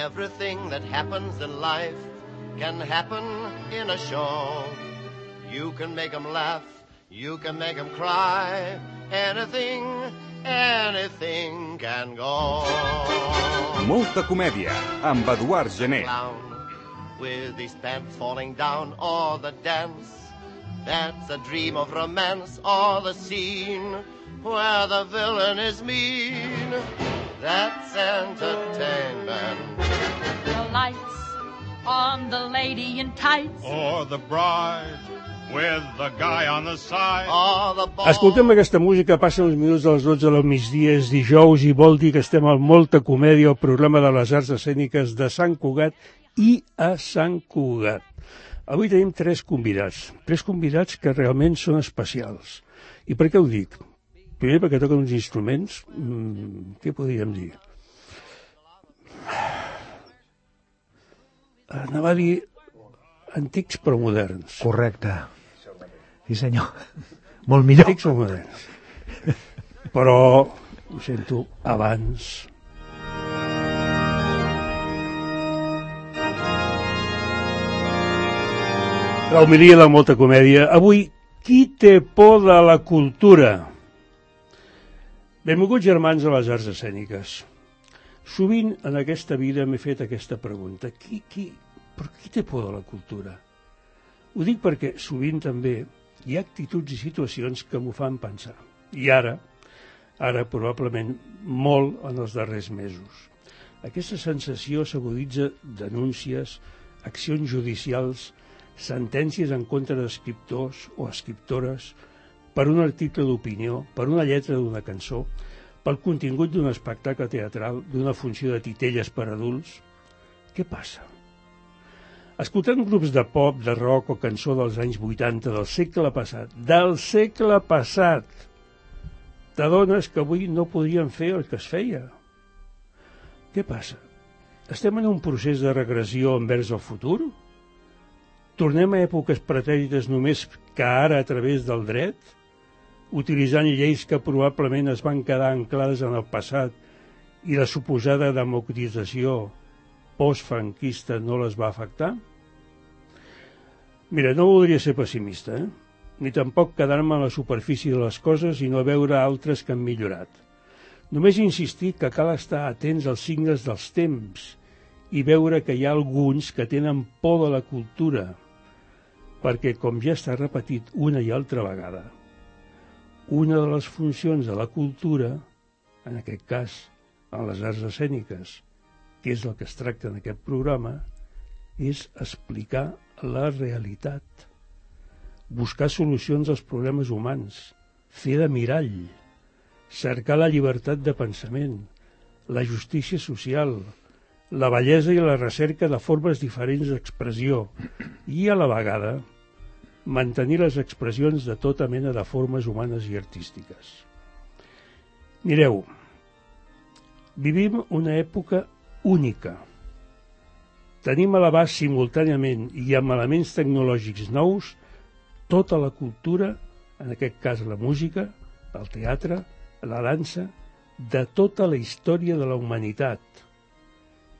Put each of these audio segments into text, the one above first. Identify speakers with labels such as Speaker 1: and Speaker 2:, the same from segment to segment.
Speaker 1: Everything that happens in life can happen in a show. You can make 'em laugh, you can make 'em cry. Anything can go.
Speaker 2: Molta comèdia, amb Eduard Gené.
Speaker 1: With his pants falling down, or the dance that's a dream of romance, or the scene where the villain is mean. That's entertainment.
Speaker 3: The lights on the lady in tights,
Speaker 4: or the bride with the guy on the side.
Speaker 5: Escoltem aquesta música, passen uns minuts a les 12 del migdia, és dijous i vol dir que estem al Molta Comèdia, el programa de les arts escèniques de Sant Cugat i a Sant Cugat. Avui tenim tres convidats que realment són especials. I per què ho dic? Primer perquè toquen uns instruments, què podríem dir? Anava a dir antics però moderns.
Speaker 6: Correcte. Sí, senyor. Molt millor.
Speaker 5: Antics o moderns. Però, ho sento, abans. La homilia de Molta Comèdia. Avui, qui té por de la cultura? Benvolguts germans a les arts escèniques. Sovint en aquesta vida m'he fet aquesta pregunta. Qui té por de la cultura? Ho dic perquè sovint també hi ha actituds i situacions que m'ho fan pensar. I ara probablement molt en els darrers mesos. Aquesta sensació s'aguditza denúncies, accions judicials, sentències en contra d'escriptors o escriptores per un article d'opinió, per una lletra d'una cançó, pel contingut d'un espectacle teatral, d'una funció de titelles per adults. Què passa? Escoltant grups de pop, de rock o cançó dels anys 80 del segle passat, t'adones que avui no podrien fer el que es feia. Què passa? Estem en un procés de regressió envers el futur? Tornem a èpoques pretèrites només que ara a través del dret, utilitzant lleis que probablement es van quedar anclades en el passat i la suposada democratització postfranquista no les va afectar? Mira, no voldria ser pessimista, ni tampoc quedar-me a la superfície de les coses i no veure altres que han millorat. Només insistir que cal estar atents als signes dels temps i veure que hi ha alguns que tenen por de la cultura, perquè, com ja està repetit una i altra vegada, una de les funcions de la cultura, en aquest cas en les arts escèniques, que és el que es tracta en aquest programa, és explicar la realitat, buscar solucions als problemes humans, fer de mirall, cercar la llibertat de pensament, la justícia social, la bellesa i la recerca de formes diferents d'expressió i, a la vegada, mantenir les expressions de tota mena de formes humanes i artístiques. Mireu, vivim una època única. Tenim a l'abast simultàniament i amb elements tecnològics nous tota la cultura, en aquest cas la música, el teatre, la dansa, de tota la història de la humanitat.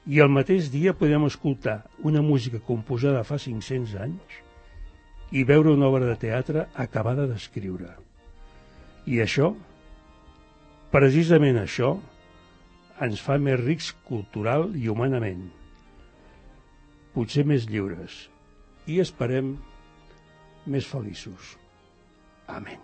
Speaker 5: I al mateix dia podem escoltar una música composada fa 500 anys i veure una obra de teatre acabada d'escriure. I això, precisament això, ens fa més rics cultural i humanament, potser més lliures i esperem més feliços. Amén.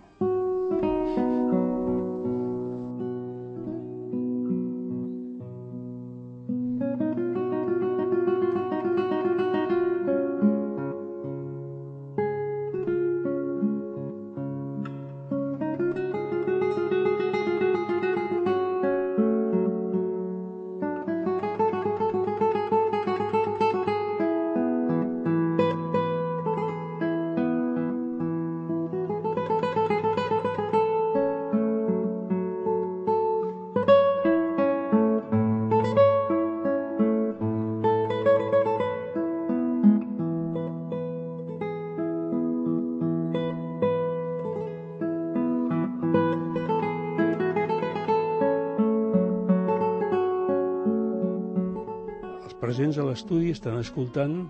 Speaker 5: presents a l'estudi estan escoltant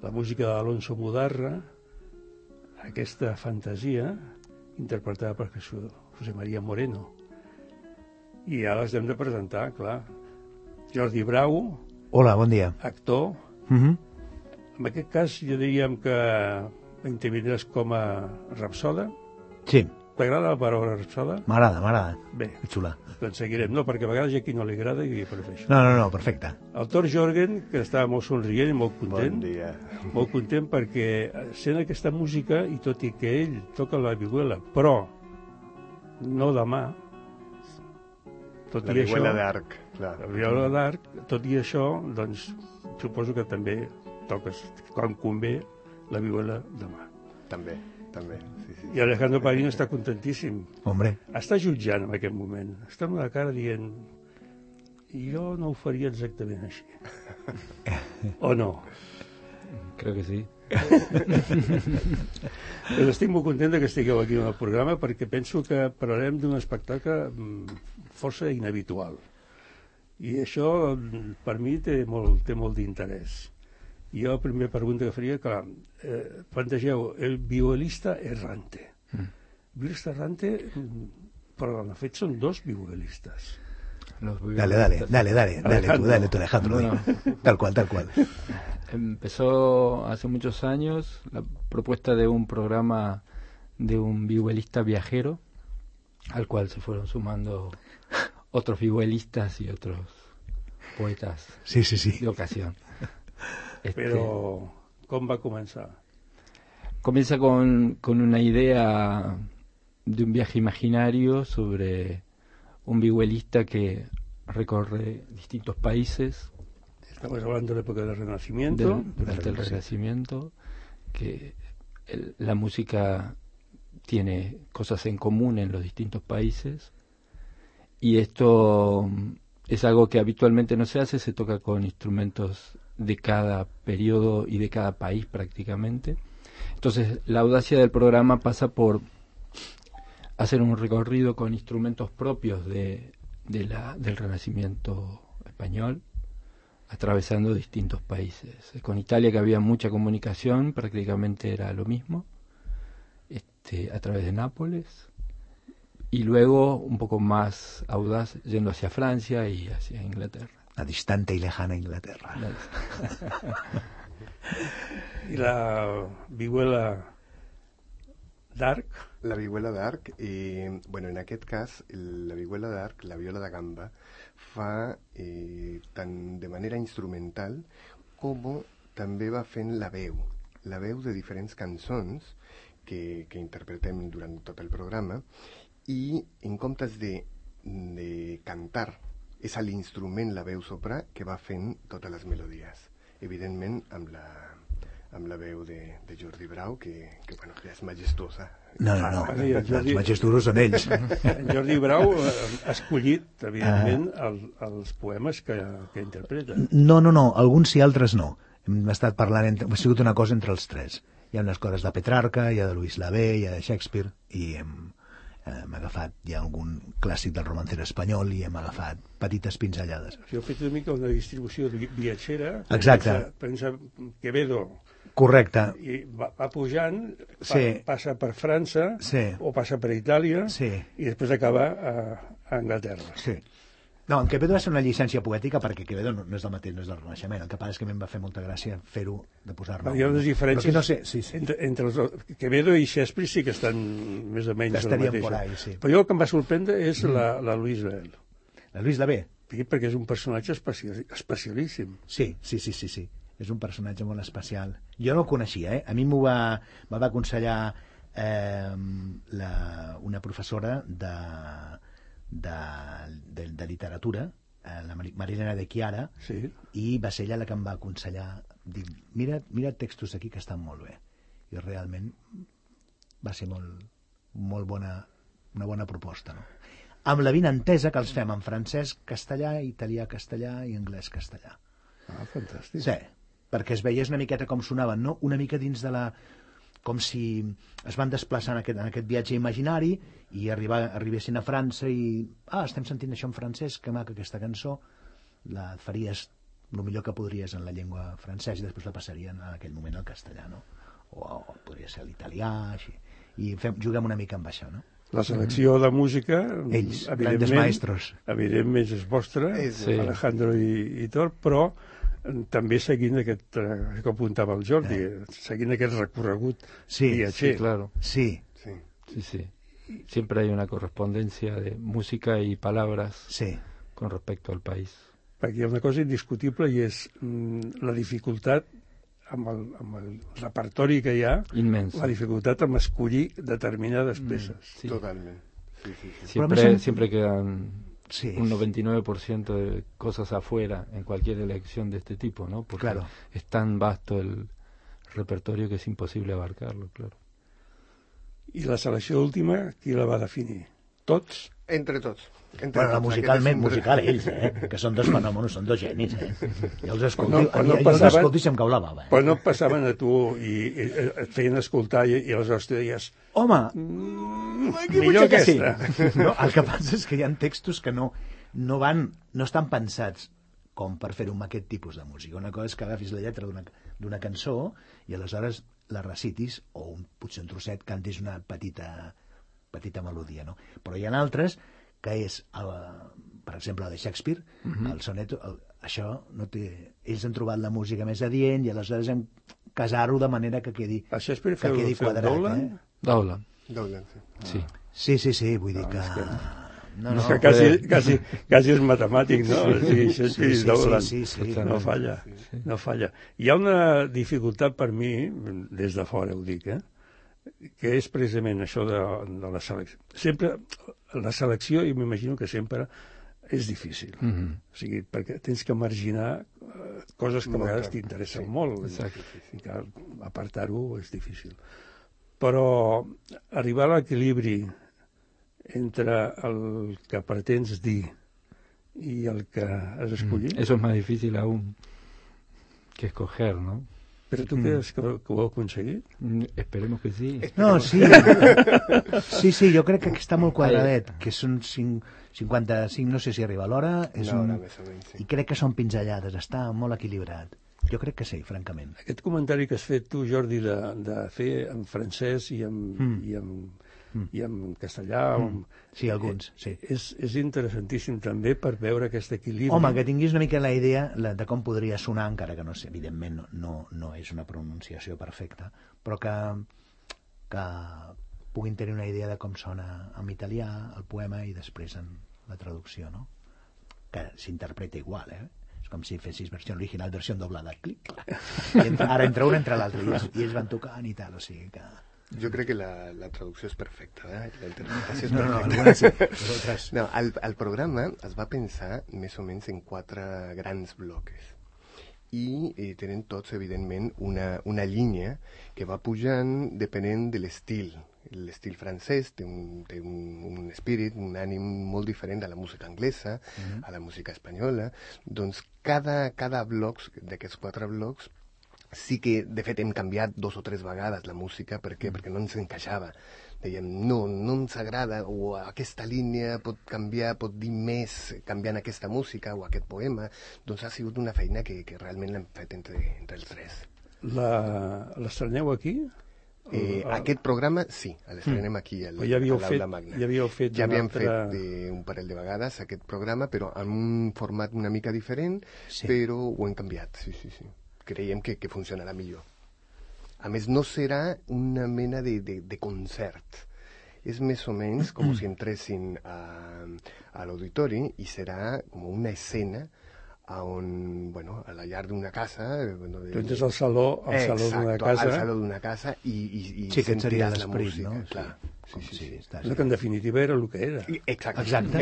Speaker 5: la música d'Alonso Mudarra, aquesta fantasia, interpretada per José María Moreno. I ara les hem de presentar, clar. Jordi Brau.
Speaker 6: Hola, bon dia.
Speaker 5: Actor. En aquest cas, jo diríem que intervindràs com a rapsoda.
Speaker 6: Sí.
Speaker 5: T'agrada la paraula rapsoda?
Speaker 6: M'agrada.
Speaker 5: Bé.
Speaker 6: Que xula.
Speaker 5: Doncs seguirem. No, perquè a vegades hi ha qui no li agrada i prefereixo.
Speaker 6: No, perfecte.
Speaker 5: El Tor Jorgen, que estava molt somrient i molt content.
Speaker 1: Bon dia.
Speaker 5: Molt content perquè sent aquesta música, i tot i que ell toca la vihuela, però no demà, tot
Speaker 1: la
Speaker 5: i això...
Speaker 1: vihuela d'arc, clar.
Speaker 5: La vihuela d'arc, tot i això, doncs, suposo que també toques, quan convé, la vihuela demà.
Speaker 1: També. Sí.
Speaker 5: I Alejandro Padrino està contentíssim.
Speaker 6: Hombre.
Speaker 5: Està jutjant en aquest moment. Està amb la cara dient jo no ho faria exactament així. O no?
Speaker 7: Creo que sí.
Speaker 5: Però estic molt content que estigueu aquí en el programa perquè penso que parlarem d'un espectacle força inhabitual. I això, per mi, té molt d'interès. I jo la primera pregunta que faria, clar, plantegeu el violista errante. Violista errante, però en fet són dos violilistes.
Speaker 6: Dale tú, Alejandro. Bueno. Tal cual.
Speaker 7: Empezó hace muchos años la propuesta de un programa de un vihuelista viajero, al cual se fueron sumando otros vihuelistas y otros poetas de ocasión.
Speaker 5: Però com va començar?
Speaker 7: Comienza con una idea de un viaje imaginario sobre un vihuelista que recorre distintos países.
Speaker 5: Estamos hablando de la época del Renacimiento.
Speaker 7: Durante el Renacimiento, que la música tiene cosas en común en los distintos países, y esto es algo que habitualmente no se hace, se toca con instrumentos de cada periodo y de cada país prácticamente. Entonces la audacia del programa pasa por hacer un recorrido con instrumentos propios del Renacimiento español, atravesando distintos países. Con Italia, que había mucha comunicación, prácticamente era lo mismo, a través de Nápoles, y luego un poco más audaz yendo hacia Francia y hacia Inglaterra.
Speaker 6: La distante y lejana Inglaterra.
Speaker 5: I la vihuela d'arc?
Speaker 1: La vihuela d'arc, bueno, en aquest cas, la vihuela d'arc, la viola de gamba, fa tant de manera instrumental com també va fent la veu de diferents cançons que interpretem durant tot el programa, i en comptes de cantar, és a l'instrument, la veu soprà, que va fent totes les melodies. Evidentment, amb la veu de Jordi Brau, que bueno, ja és majestuosa.
Speaker 6: No, els majestuosos són ells.
Speaker 5: En Jordi Brau ha escollit, evidentment, els poemes que interpreta.
Speaker 6: No, alguns sí, altres no. Hem estat parlant, ha sigut una cosa entre els tres. Hi ha unes coses de Petrarca, hi ha de Luis Lavey, hi ha de Shakespeare, i hem agafat, hi ha algun clàssic del romancero espanyol, i hem agafat petites pinzellades.
Speaker 5: Heu fet una mica una distribució viatgera.
Speaker 6: Exacte.
Speaker 5: Pensa Quevedo.
Speaker 6: Correcte.
Speaker 5: I va pujant, passa per França, o passa per Itàlia, i després acaba a Anglaterra.
Speaker 6: Sí. No, en Quevedo va ser una llicència poètica, perquè Quevedo no és del mateix, no és del Renaixement. El que passa és que a mi em va fer molta gràcia fer-ho, de posar-ne.
Speaker 5: Hi ha unes diferències.
Speaker 6: No sé,
Speaker 5: entre Quevedo i Shakespeare sí que estan més o menys la mateixa. Però jo el que em va sorprendre és la Louise Lavey.
Speaker 6: La Louise Lavey?
Speaker 5: Sí, perquè és un personatge especialíssim.
Speaker 6: Sí. És un personatge molt especial. Jo no el coneixia, A mi m'ho va aconsellar una professora de literatura, la Marilena de Chiara, i va ser ella la que em va aconsellar, dir, mira textos aquí que estan molt bé, i realment va ser molt bona, una bona proposta, no? Amb la vinentesa que els fem en francès, castellà, italià, castellà i anglès, castellà.
Speaker 5: Fantàstic.
Speaker 6: Sí, perquè es veiés una miqueta com sonaven, no? Una mica dins de la... com si es van desplaçar en aquest viatge imaginari i arribessin a França i estem sentint això en francès, que maca aquesta cançó, la faries el millor que podries en la llengua francesa i després la passarien en aquell moment al castellà, no? O podria ser l'italià, així. I juguem una mica amb això, no?
Speaker 5: La selecció de música,
Speaker 6: ells, grandes maestros,
Speaker 5: evidentment és vostra, Alejandro i Tor, però també seguint aquest, que apuntava el Jordi, seguint aquest recorregut viatger.
Speaker 7: Sí, claro.
Speaker 6: Sí.
Speaker 7: Siempre hay una correspondencia de música y palabras con respecto al país.
Speaker 5: Perquè hi ha una cosa indiscutible i és la dificultat amb el repertori que hi ha,
Speaker 7: inmenso.
Speaker 5: La dificultat amb escollir determinades peces.
Speaker 7: Sí.
Speaker 4: Totalment. Sí.
Speaker 7: Siempre quedan un 99% de cosas afuera en cualquier elección de este tipo, ¿no? Porque es tan vasto el repertorio que es imposible abarcarlo, claro.
Speaker 5: I la selecció última, qui la va definir? Tots?
Speaker 4: Entre tots.
Speaker 6: Bueno, musical ells, que són dos fenòmenos, són dos genis, Jo els escolto i se'm cau la bava.
Speaker 5: Però no et passaven a tu i et feien escoltar i aleshores tu deies,
Speaker 6: home,
Speaker 5: millor aquesta.
Speaker 6: No, el que passa és que hi ha textos que no estan pensats com per fer-ho amb aquest tipus de música. Una cosa és que agafis la lletra d'una cançó i aleshores la recitis, o potser un trosset cantis una petita melodia, no? Però hi ha altres que és, per exemple, de Shakespeare, el soneto, això no té... Ells han trobat la música més adient i aleshores hem casar-ho de manera que quedi quadrat.
Speaker 7: Dowland,
Speaker 6: sí. Sí, vull dir que...
Speaker 5: És que quasi és matemàtic, no? Sí, no falla. Hi ha una dificultat per mi, des de fora ho dic, que és precisament això de la selecció. Sempre la selecció, i m'imagino que sempre és difícil. O sigui, perquè tens que marginar coses que a vegades t'interessen molt. I que apartar-ho és difícil. Però arribar a l'equilibri entre el que pretens dir i el que has escollit...
Speaker 7: Eso es más difícil aún que escoger, ¿no?
Speaker 5: Però tu creus que ho heu aconseguit?
Speaker 7: Esperemos que sí.
Speaker 6: No, sí. Sí, jo crec que està molt quadradet, que són 55, no sé si arriba a l'hora, i crec que són pinzellades, està molt equilibrat. Jo crec que sí, francament.
Speaker 5: Aquest comentari que has fet tu, Jordi, de fer en francès i en castellà...
Speaker 6: Sí, alguns, sí.
Speaker 5: És interessantíssim també per veure aquest equilibri.
Speaker 6: Home, que tinguis una mica la idea de com podria sonar, encara que no sé, evidentment no és una pronunciació perfecta, però que puguin tenir una idea de com sona en italià el poema i després en la traducció, no? Que s'interpreta igual, És com si fessis versió original, versió doblada, clic. Ara entre un, entre l'altre, i ells van tocant i tal, o sigui que...
Speaker 8: Jo crec que la traducció és perfecta, la interpretació és
Speaker 6: perfecta.
Speaker 8: No, el programa es va pensar més o menys en 4 grans blocs i tenen tots, evidentment, una línia que va pujant depenent de l'estil. L'estil francès té un espírit, un ànim molt diferent a la música anglesa, a la música espanyola. Doncs cada bloc d'aquests 4 blocs sí que, de fet, hem canviat 2 o 3 vegades la música. Per què? Perquè no ens encaixava. Dèiem, no ens agrada, o aquesta línia pot canviar, pot dir més canviant aquesta música o aquest poema. Doncs ha sigut una feina que realment l'hem fet entre els 3.
Speaker 5: L'estreneu aquí?
Speaker 8: Aquest programa, sí, l'estrenem aquí a l'Aula Magna. Ja havíem fet un parell de vegades aquest programa, però en un format una mica diferent, però ho hem canviat, sí. Creiem que funcionarà millor. A més, no serà una mena de concert. És més o menys com si entressin a l'auditori i serà com una escena on, a la llar d'una casa...
Speaker 5: Tu entres al saló d'una casa...
Speaker 8: al saló d'una casa i
Speaker 6: sentiràs la música,
Speaker 8: no? Clar.
Speaker 6: Sí.
Speaker 5: Que en definitiva era el que era.
Speaker 8: Exactament.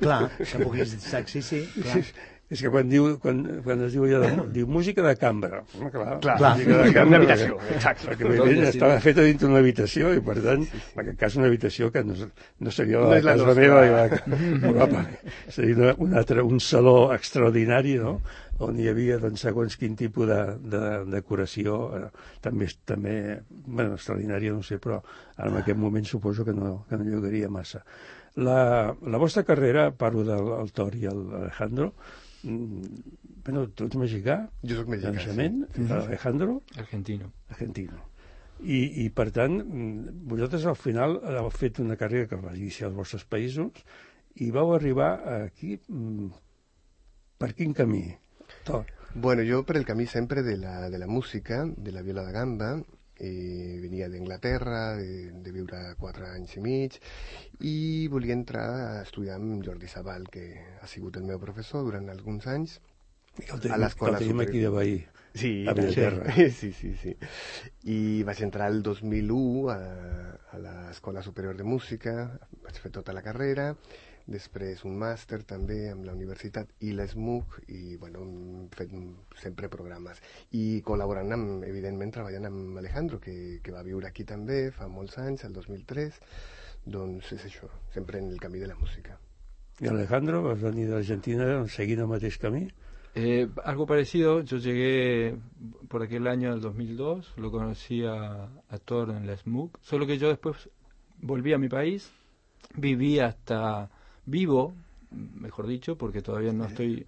Speaker 6: Clar, que puguis... Sí, clar.
Speaker 5: És que quan es diu allò diu música de cambra,
Speaker 8: clar,
Speaker 5: música de cambra,
Speaker 8: una habitació, exacte.
Speaker 5: Perquè estava feta dintre d'una habitació i per tant, en aquest cas una habitació que no seria la casa meva, seria un saló extraordinari, no?, on hi havia segons quin tipus de decoració, també extraordinària, no sé, però ara en aquest moment suposo que no llogaria massa. La vostra carrera, parlo del Tor i l'Alejandro, Bueno, tu ets mexicà?
Speaker 8: Jo soc mexicà,
Speaker 5: de naixement,
Speaker 8: sí.
Speaker 5: Alejandro?
Speaker 7: Argentino.
Speaker 5: I per tant, vosaltres al final heu fet una carrera que va iniciar als vostres països i vau arribar aquí per quin camí?
Speaker 8: Bueno, yo por el camí sempre de la música, de la viola da gamba, venia d'Anglaterra, de viure 4 anys i mig, i volia entrar a estudiar amb Jordi Sabal, que ha sigut el meu professor durant alguns anys, a l'Escola
Speaker 5: Superior. Aquí de veí.
Speaker 8: Sí,
Speaker 5: a Vilaterra.
Speaker 8: Sí. I vaig entrar el 2001 a l'Escola Superior de Música, vaig fer tota la carrera, després un màster també amb la universitat i l'ESMUC, i bueno, hem fet sempre programes. I col·laborant amb, evidentment, treballant amb Alejandro, que va viure aquí també fa molts anys, el 2003, doncs és això, sempre en el camí de la música.
Speaker 5: I Alejandro, vas venir d'Argentina seguint el mateix camí?
Speaker 7: Algo parecido, yo llegué por aquel año del 2002, lo conocí a Thor en la SMUC, solo que yo después volví a mi país, vivo, mejor dicho, porque todavía no estoy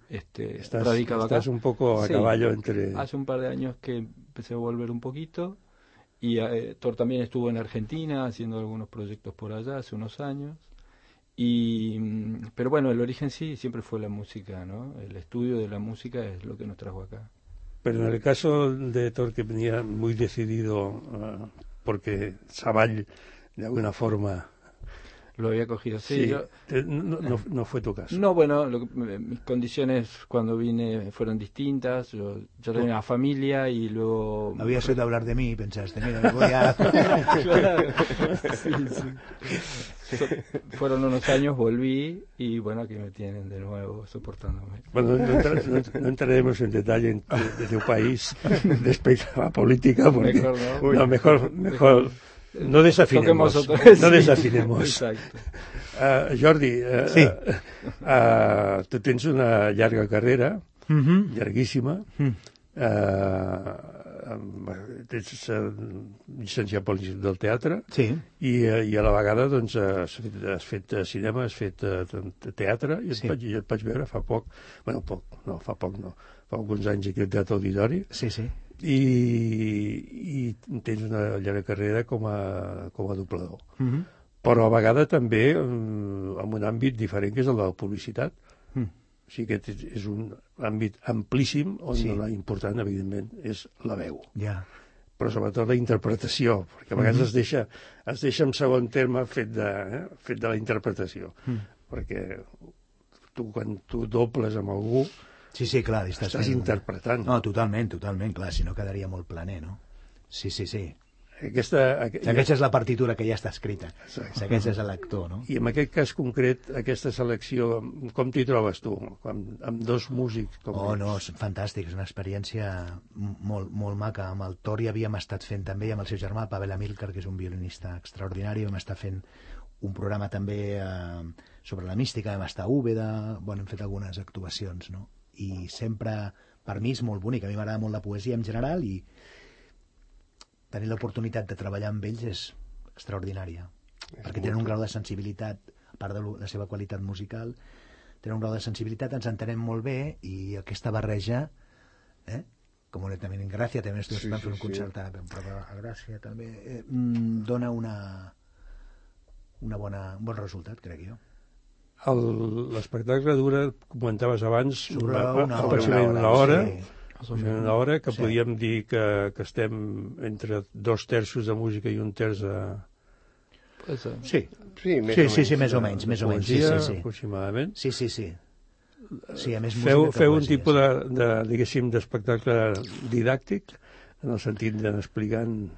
Speaker 7: radicado acá.
Speaker 5: Estás un poco a caballo entre...
Speaker 7: Hace un par de años que empecé a volver un poquito, y Thor también estuvo en Argentina haciendo algunos proyectos por allá hace unos años. Pero bueno, el origen sí siempre fue la música, ¿no? El estudio de la música es lo que nos trajo acá.
Speaker 5: Pero en el caso de Thor, que venía muy decidido, porque Sabal de alguna forma
Speaker 7: lo había cogido, sí. Yo,
Speaker 5: no fue tu caso.
Speaker 7: No, bueno, mis condiciones cuando vine fueron distintas. Yo tenía una familia y luego...
Speaker 6: Habías oído hablar de mí y pensaste, mira, me voy a...
Speaker 7: Fueron unos años, volví y bueno, aquí me tienen de nuevo soportándome.
Speaker 5: Bueno, no entraremos en detalle de tu país respecto a la política, porque mejor no desafinemos. No desafinemos.
Speaker 7: Exacto.
Speaker 5: Jordi,
Speaker 6: sí.
Speaker 5: Tu tens una llarga carrera, llarguíssima, ets llicenciat pel Institut del Teatre,
Speaker 6: sí.
Speaker 5: I a la vegada doncs, has fet cinema, has fet teatre, i et vaig veure fa alguns anys aquí al Teatre Auditori.
Speaker 6: Sí.
Speaker 5: I tens una llarga carrera com a doblador. Però a vegada també en un àmbit diferent, que és el de la publicitat. O sigui que és un àmbit amplíssim on la important, evidentment, és la veu. Però sobretot la interpretació, perquè a vegades es deixa en segon terme fet de la interpretació. Perquè quan tu dobles amb algú,
Speaker 6: sí, clar,
Speaker 5: estàs interpretant.
Speaker 6: No, totalment, clar, si no quedaria molt planer, no? Sí.
Speaker 5: Aquesta
Speaker 6: és la partitura que ja està escrita. Aquest és l'actor, no?
Speaker 5: I en aquest cas concret, aquesta selecció, com t'hi trobes tu? Amb dos músics?
Speaker 6: No, és fantàstic, és una experiència molt maca. Amb el Thor ja havíem estat fent també, amb el seu germà, Pavel Amilcar, que és un violinista extraordinari, vam estar fent un programa també sobre la mística, vam estar a Úbeda, hem fet algunes actuacions, no? I sempre, per mi és molt bonic, a mi m'agrada molt la poesia en general, i tenir l'oportunitat de treballar amb ells és extraordinària, perquè tenen un grau de sensibilitat, a part de la seva qualitat musical, tenen un grau de sensibilitat, ens entenem molt bé, i aquesta barreja, com també en Gràcia, també estem fent un concert a Gràcia, també dona un bon resultat, crec jo.
Speaker 5: L'espectacle dura, comentaves abans, aproximadament una hora, una hora, que podíem dir que estem entre 2/3 de música i 1/3 de...
Speaker 6: Sí, més o menys.
Speaker 5: Aproximadament.
Speaker 6: Sí. Sí, a més
Speaker 5: feu un tipus diguéssim, d'espectacle didàctic, en el sentit d'explicant...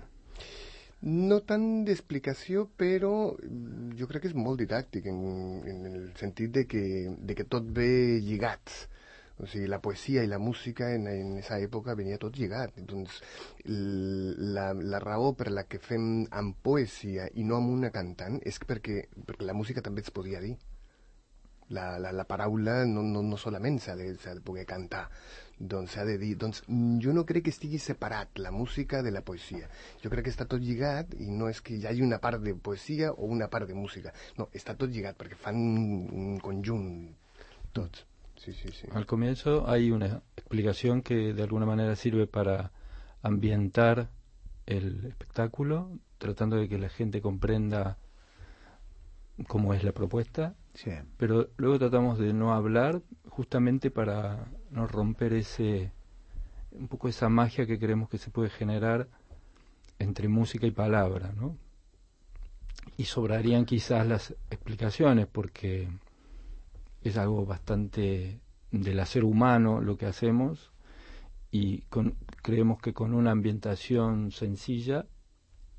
Speaker 8: No tant d'explicació, però jo crec que és molt didàctic, en el sentit de que tot ve lligat. O sigui, la poesia i la música en aquesta època venia tot lligat. Doncs la raó per la que fem amb poesia i no amb una cantant és perquè la música també es podia dir. La paraula no solament s'ha de poder cantar, doncs s'ha de dir. Doncs jo no crec que estigui separat la música de la poesia. Jo crec que està tot lligat, i no és que hi hagi una part de poesia o una part de música. No, està tot lligat perquè fan un conjunt tots.
Speaker 7: Al comienzo hay una explicación que de alguna manera sirve para ambientar el espectáculo, tratando de que la gente comprenda cómo es la propuesta, pero luego tratamos de no hablar justamente para no romper un poco esa magia que creemos que se puede generar entre música y palabra, ¿no? Y sobrarían quizás las explicaciones porque es algo bastante del hacer humano lo que hacemos y creemos que con una ambientación sencilla,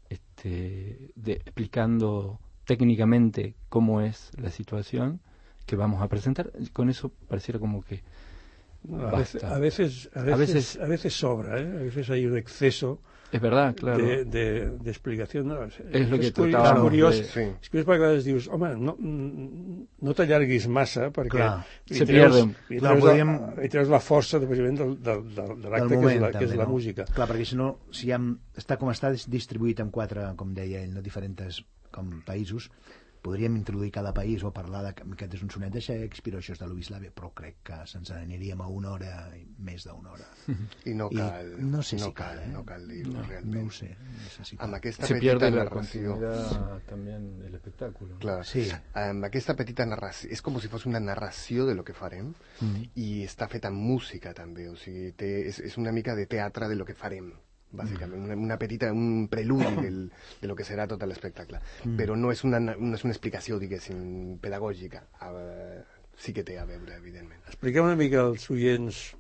Speaker 7: explicando técnicamente cómo es la situación que vamos a presentar, con eso pareciera como que
Speaker 5: a veces sobra, ¿eh? A veces hay un exceso.
Speaker 7: És verdad, claro.
Speaker 5: de explicació. No,
Speaker 7: és el que tratàvem.
Speaker 5: És curiós perquè a vegades dius, home, no t'allarguis massa perquè
Speaker 7: se pierden.
Speaker 5: I treus la força de l'acte que és la música.
Speaker 6: Clar, perquè si no, està com està distribuït en 4, com deia ell, diferents països, podríem introduir cada país o parlar que aquest és un sonet de Shakespeare o això és de Louis Lavie, però crec que se'ns aniríem a 1 hora, més d'1 hora.
Speaker 8: I no cal.
Speaker 6: No sé si cal,
Speaker 8: no cal dir-ho realment.
Speaker 6: No ho sé.
Speaker 8: Amb aquesta
Speaker 7: se
Speaker 8: petita
Speaker 7: pierde
Speaker 8: narració...
Speaker 7: la continuidad también del espectáculo.
Speaker 8: Clar, sí. Amb aquesta petita narració... És com si fos una narració de lo que farem i està feta en música també, o sigui, és una mica de teatre de lo que farem. Bàsicament, un preludi de lo que serà tot l'espectacle. Però no és una explicació, diguéssim, pedagògica. Sí que té a veure, evidentment.
Speaker 5: Expliqueu una mica als oients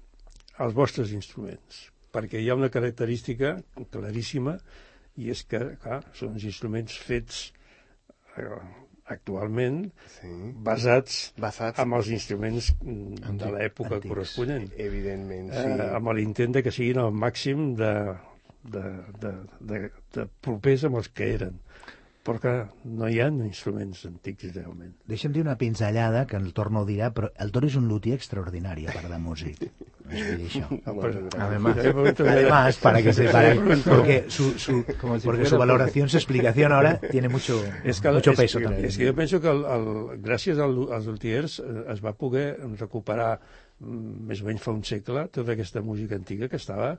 Speaker 5: els vostres instruments, perquè hi ha una característica claríssima, i és que, clar, són uns instruments fets actualment basats en els instruments de l'època corresponent.
Speaker 8: Evidentment, sí.
Speaker 5: Amb l'intent que siguin al màxim de propers amb els que eren, perquè no hi ha instruments antics realment.
Speaker 6: Deixa'm dir una pinzellada que el Torno ho dirà, però el Toro és un luthier extraordinari a part de músic. Además, para que porque su valoración, su explicación ahora tiene mucho peso también.
Speaker 5: És que jo penso que gràcies als luthiers es va poder recuperar més o menys fa un segle tota aquesta música antiga que estava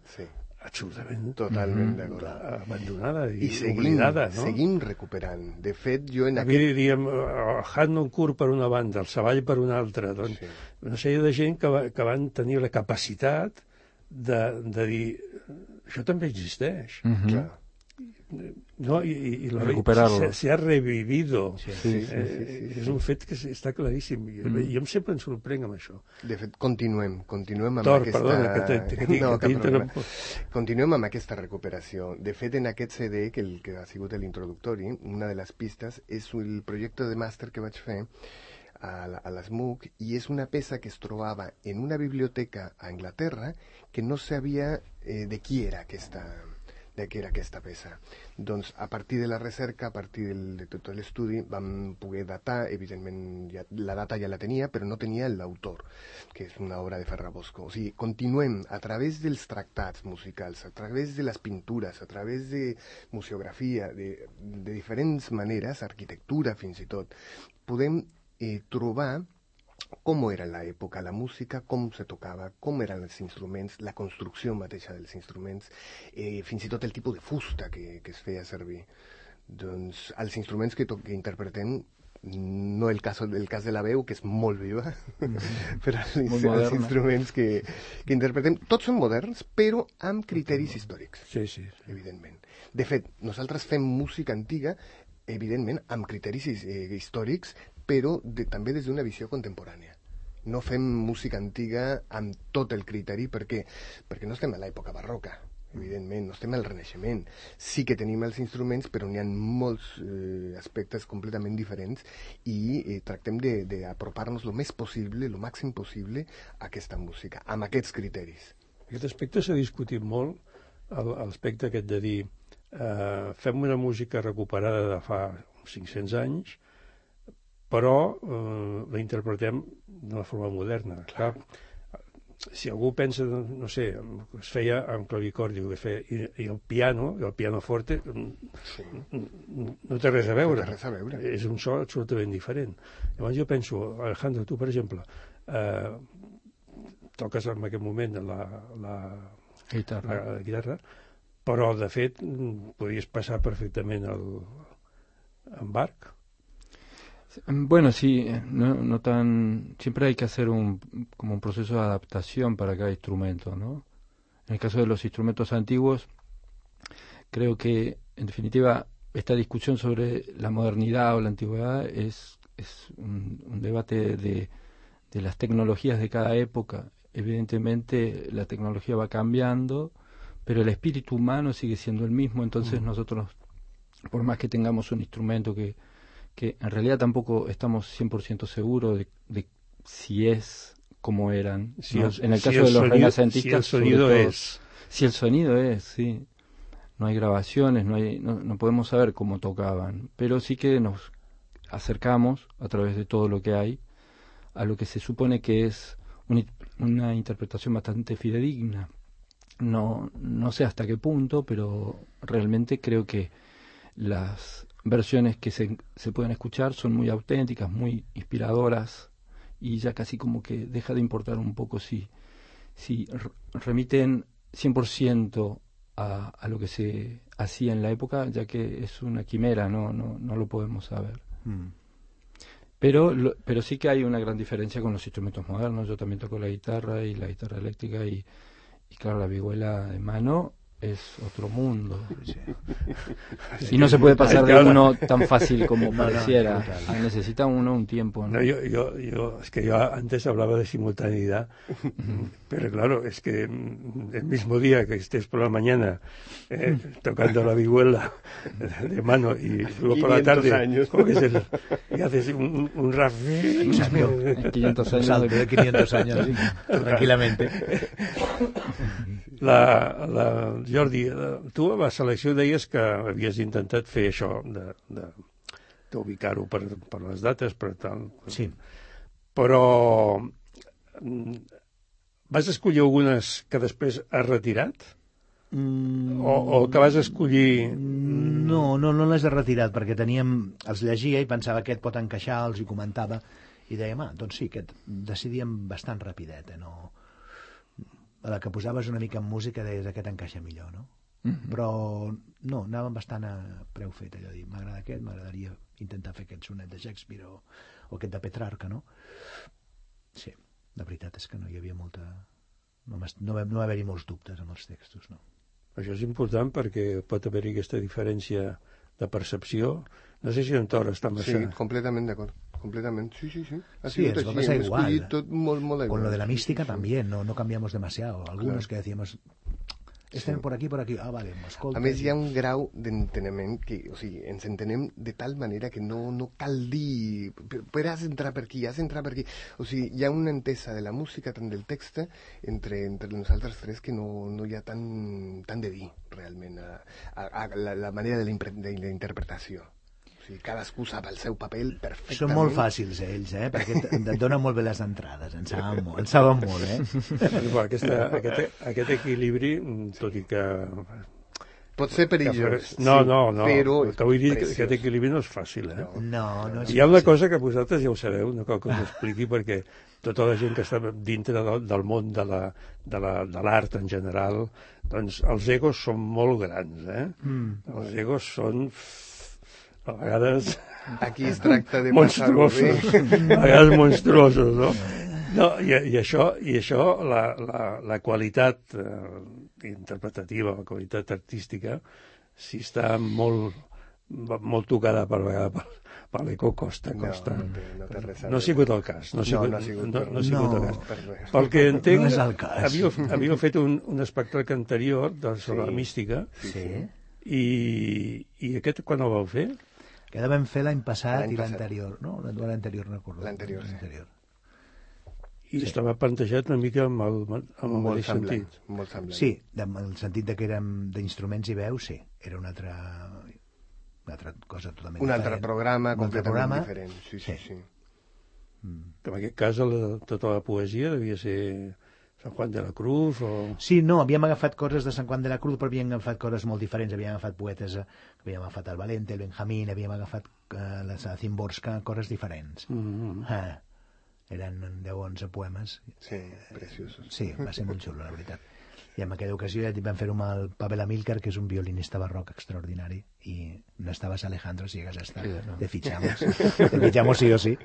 Speaker 8: totalment d'acord,
Speaker 5: abandonada i oblidada, no?
Speaker 8: Seguim recuperant. De fet, jo en
Speaker 5: aquí diríem el Harnoncourt per una banda, el Savall per una altra, doncs una sèrie de gent que van tenir la capacitat de dir això també existeix. No, y se ha revivido. És un fet que està claríssim. Jo sempre em sorprenc amb això.
Speaker 8: De fet, continuem amb
Speaker 5: continuem
Speaker 8: amb aquesta recuperació. De fet, en aquest CD, que ha sigut l'introductori, una de les pistes és el projecte de màster que vaig fer a l'SMUC, i és una peça que es trobava en una biblioteca a Anglaterra que no sabia de qui era aquesta peça. Doncs a partir de la recerca, a partir de tot l'estudi, vam poder datar, evidentment la data ja la tenia, però no tenia l'autor, que és una obra de Ferrabosco. O sigui, continuem a través dels tractats musicals, a través de les pintures, a través de museografia, de diferents maneres, arquitectura fins i tot, podem trobar com era l'època, la música, com se tocava, com eren els instruments, la construcció mateixa dels instruments, fins i tot el tipus de fusta que es feia servir. Doncs els instruments que interpretem, no el cas de la veu, que és molt viva, però els instruments que interpretem, tots són moderns, però amb criteris històrics, evidentment. De fet, nosaltres fem música antiga, evidentment, amb criteris històrics, però també des d'una visió contemporània. No fem música antiga amb tot el criteri perquè no estem a l'època barroca, evidentment, no estem al Renaixement. Sí que tenim els instruments, però n'hi ha molts aspectes completament diferents i tractem d'apropar-nos el més possible, el màxim possible a aquesta música, amb aquests criteris.
Speaker 5: Aquest aspecte s'ha discutit molt, l'aspecte aquest de dir fem una música recuperada de fa 500 anys, però la interpretem d'una forma moderna. Clar, si algú pensa, no sé, es feia amb clavicordi, i el piano forte, no té res a veure. És un so absolutament diferent. Llavors jo penso, Alejandro, tu, per exemple, toques en aquest moment la guitarra, però de fet podries passar perfectament en Bach.
Speaker 7: Bueno, sí, no tan... Siempre hay que hacer como un proceso de adaptación para cada instrumento, ¿no? En el caso de los instrumentos antiguos, creo que, en definitiva, esta discusión sobre la modernidad o la antigüedad es un debate de las tecnologías de cada época. Evidentemente, la tecnología va cambiando, pero el espíritu humano sigue siendo el mismo, entonces nosotros, por más que tengamos un instrumento que en realidad tampoco estamos 100% seguros de si es como eran. En el caso de los renacentistas,
Speaker 5: si el sonido es,
Speaker 7: sí. No hay grabaciones, no podemos saber cómo tocaban, pero sí que nos acercamos a través de todo lo que hay a lo que se supone que es una interpretación bastante fidedigna. No sé hasta qué punto, pero realmente creo que las versiones que se pueden escuchar son muy auténticas, muy inspiradoras, y ya casi como que deja de importar un poco si remiten 100% a lo que se hacía en la época, ya que es una quimera, no lo podemos saber. Pero sí que hay una gran diferencia con los instrumentos modernos. Yo también toco la guitarra y la guitarra eléctrica, y claro, la vihuela de mano es otro mundo. Y no se puede pasar de uno tan fácil como pareciera. Necesita uno un tiempo, ¿no?
Speaker 5: Es que yo antes hablaba de simultaneidad, pero claro, es que el mismo día que estés por la mañana tocando la vihuela de mano y luego por la tarde y haces un rap
Speaker 7: 500 años,
Speaker 6: salto de 500 años, tranquilamente.
Speaker 5: Jordi, tu a la selecció deies que havies intentat fer això, d'ubicar-ho per les dates, per tal.
Speaker 6: Sí.
Speaker 5: Però vas escollir algunes que després has retirat? O que vas escollir...
Speaker 6: No les he retirat, perquè els llegia i pensava aquest pot encaixar, els hi comentava, i dèiem, doncs sí, aquest decidíem bastant rapidet, no? A la que posaves una mica en música deies aquest encaixa millor, no? Però no, anàvem bastant a preu fet, allò de dir, m'agrada aquest, m'agradaria intentar fer aquest sonet de Shakespeare o aquest de Petrarca, no? Sí, la veritat és que no hi havia molta... No va haver-hi molts dubtes amb els textos, no?
Speaker 5: Això és important perquè pot haver-hi aquesta diferència de percepció. No sé si en Tor està massa...
Speaker 8: Sí, completament d'acord. Completamente, sí.
Speaker 6: Sí, es pasa igual.
Speaker 8: Molt
Speaker 6: con lo de la mística también, no cambiamos demasiado. Algunos que decíamos, estem por aquí, vale, m'escolta.
Speaker 8: A més, hi ha un grau d'enteniment que, o sigui, ens entenem de tal manera que no cal dir, però has d'entrar per aquí, O sigui, hi ha una entesa de la música, tant del text, entre nosaltres tres, que no hi ha tant de dir, realment, a la manera de la interpretació. O sigui, cadascú sap el seu paper perfectament.
Speaker 6: Són molt fàcils, ells, perquè et donen molt bé les entrades, en saben molt,
Speaker 5: Aquest equilibri, tot i que...
Speaker 8: Pot ser perillós.
Speaker 5: No,
Speaker 8: però
Speaker 5: t'ho vull dir que aquest equilibri no és fàcil,
Speaker 6: No és fàcil.
Speaker 5: Hi ha una cosa que vosaltres ja ho sabeu, no cal que us expliqui, perquè tota la gent que està dintre del món de l'art en general, doncs els egos són molt grans, Els egos són... a vegades...
Speaker 8: Aquí es tracta de
Speaker 5: monstruosos, a vegades monstruosos, no? I això, la qualitat interpretativa, la qualitat artística, si està molt tocada per vegades per l'eco, costa. No ha sigut el cas. No ha sigut el cas. Pel que entenc, havíeu fet un espectacle anterior sobre la mística, i aquest quan el vau fer?
Speaker 6: Que vam fer l'any passat i l'anterior, no? L'anterior, no recordo.
Speaker 8: L'anterior.
Speaker 5: I estava plantejat una mica amb el mateix sentit.
Speaker 8: Molt semblant.
Speaker 6: Sí, en el sentit que érem d'instruments i veus, sí. Era una altra cosa totalment diferent.
Speaker 8: Un altre programa completament diferent. Sí.
Speaker 5: En aquest cas, tota la poesia devia ser... San Juan de la Cruz o...
Speaker 6: Sí, no, havíem agafat coses de San Juan de la Cruz, però havíem agafat coses molt diferents. Havíem agafat poetes, havíem agafat el Valente, el Benjamín, havíem agafat la Szymborska, coses diferents. eren 10 o 11 poemes.
Speaker 8: Sí, preciosos.
Speaker 6: Sí, va ser molt xulo, la veritat. I en aquella ocasió ja vam fer-ho amb el Pavel Amilcar, que és un violinista barroc extraordinari, i no estaves, Alejandro, si hagués estat. Te fichamos. Te fichamos sí o sí.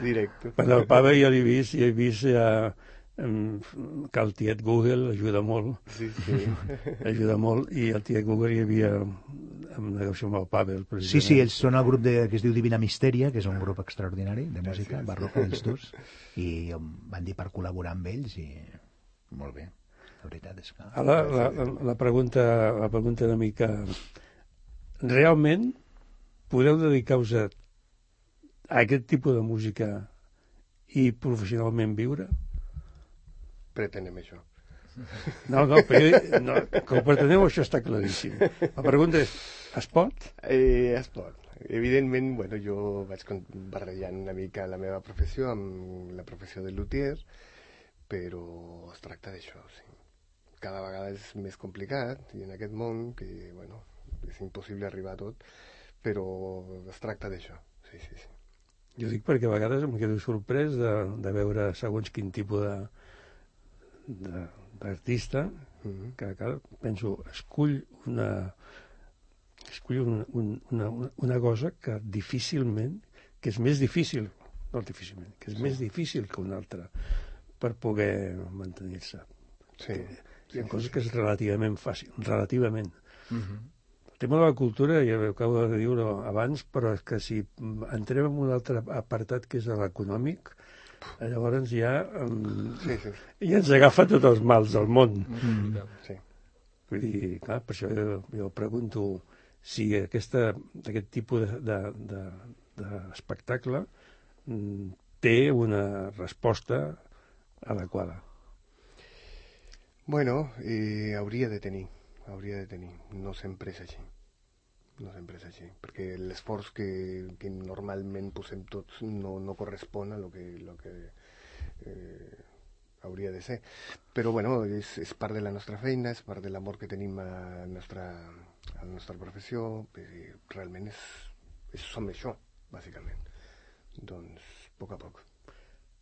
Speaker 8: Directo.
Speaker 5: Bueno, el Pavel ja l'he vist ja, que el tiet Google ajuda molt.
Speaker 8: Sí.
Speaker 5: Ajuda molt, i el tiet Google hi havia en negoci amb el Pavel.
Speaker 6: Sí, ells són el grup que es diu Divina Misteria, que és un grup extraordinari de música barroca, ells dos, i van dir per col·laborar amb ells, i molt bé. La veritat és que...
Speaker 5: La pregunta una mica... Realment podeu dedicar-vos a aquest tipus de música i professionalment viure?
Speaker 8: Pretenem això.
Speaker 5: No, que ho preteneu, això està claríssim. La pregunta és, es pot?
Speaker 8: Es pot. Evidentment, bueno, jo vaig barrejant una mica la meva professió amb la professió de luthier, però es tracta d'això, sí. Cada vegada és més complicat, i en aquest món, que, bueno, és impossible arribar a tot, però es tracta d'això, sí.
Speaker 5: Jo dic perquè a vegades em quedo sorprès de veure segons quin tipus d'artista, que penso, escull una cosa que difícilment, que és més difícil, no difícilment, que és més difícil que una altra per poder mantenir-se.
Speaker 8: Sí.
Speaker 5: Hi ha coses que és relativament fàcil, relativament. El tema de la cultura, ja ho acabo de dir abans, però és que si entrem en un altre apartat que és l'econòmic, llavors ja ens agafa tots els mals del món. Vull dir, clar, per això jo pregunto si aquest tipus d'espectacle té una resposta adequada.
Speaker 8: Bueno, hauria de tenir. No sempre és així. Perquè l'esforç que normalment posem tots no correspon a lo que hauria de ser. Però, bueno, és part de la nostra feina, és part de l'amor que tenim a la nostra professió. Realment som això, bàsicament. Doncs, a poc.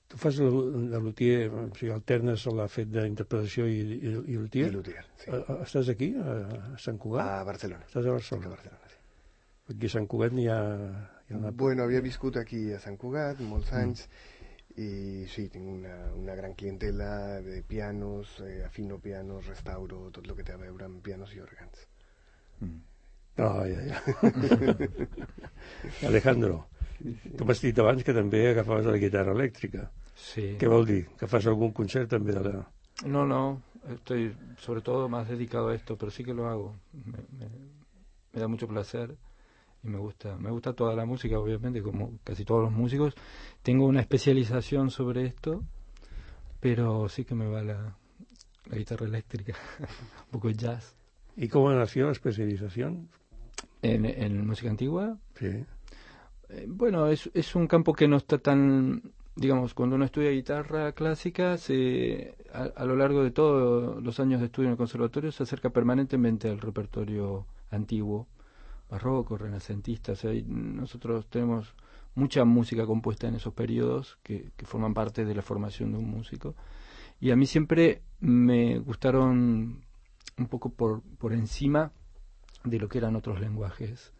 Speaker 5: Tu fas de luthier, o sigui, alternes el fet d'interpretació i luthier?
Speaker 8: I luthier, sí.
Speaker 5: Estàs aquí, a Sant Cugat?
Speaker 8: A Barcelona.
Speaker 5: Estàs a Barcelona?
Speaker 8: A Barcelona, sí.
Speaker 5: Aquí a Sant Cugat n'hi ha una...
Speaker 8: Bueno, havia viscut aquí a Sant Cugat molts anys, i sí, tinc una gran clientela de pianos, afino pianos, restauro, tot el que té a veure amb pianos i òrgans.
Speaker 5: Ja. Alejandro, tu m'has dit abans que també agafaves la guitarra elèctrica.
Speaker 7: Sí.
Speaker 5: ¿Qué vol dir? ¿Que fas algún concert també de la...?
Speaker 7: No, estoy sobre todo más dedicado a esto, pero sí que lo hago. Me da mucho placer y me gusta toda la música, obviamente, como casi todos los músicos. Tengo una especialización sobre esto, pero sí que me va la guitarra eléctrica, un poco jazz.
Speaker 5: ¿Y cómo nació la especialización?
Speaker 7: ¿En música antigua?
Speaker 5: Sí.
Speaker 7: Bueno, es un campo que no está tan... Digamos, cuando uno estudia guitarra clásica, a lo largo de todos los años de estudio en el conservatorio se acerca permanentemente al repertorio antiguo, barroco, renacentista. O sea, nosotros tenemos mucha música compuesta en esos periodos que forman parte de la formación de un músico. Y a mí siempre me gustaron un poco por encima de lo que eran otros lenguajes.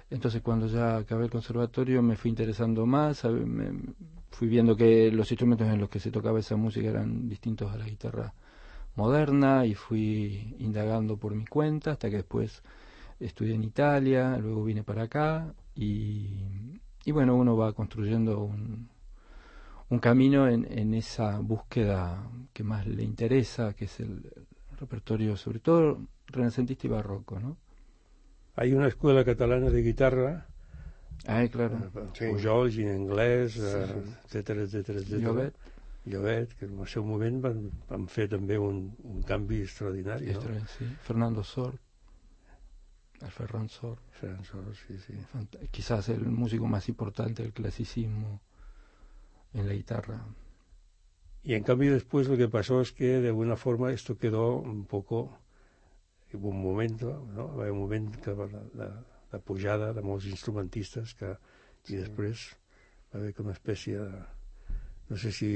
Speaker 7: Entonces, cuando ya acabé el conservatorio me fui interesando más, fui viendo que los instrumentos en los que se tocaba esa música eran distintos a la guitarra moderna, y fui indagando por mi cuenta hasta que después estudié en Italia, luego vine para acá y bueno, uno va construyendo un camino en esa búsqueda que más le interesa, que es el repertorio, sobre todo renacentista y barroco, ¿no?
Speaker 5: Hay una escuela catalana de guitarra,
Speaker 7: claro.
Speaker 5: Pujols i en anglès, etcètera. Llobet, que en el seu moment van fer també un canvi extraordinari, ¿no?
Speaker 7: Sí. Fernando Sor, el Ferran Sor.
Speaker 5: Ferran Sor, sí.
Speaker 7: Quizás el músico más importante del clasicismo en la guitarra.
Speaker 5: Y en cambio después lo que pasó es que de alguna forma esto quedó un poco... Hubo un momento, no? Va haver un moment que la pujada de molts instrumentistes i després va haver una espècie no sé si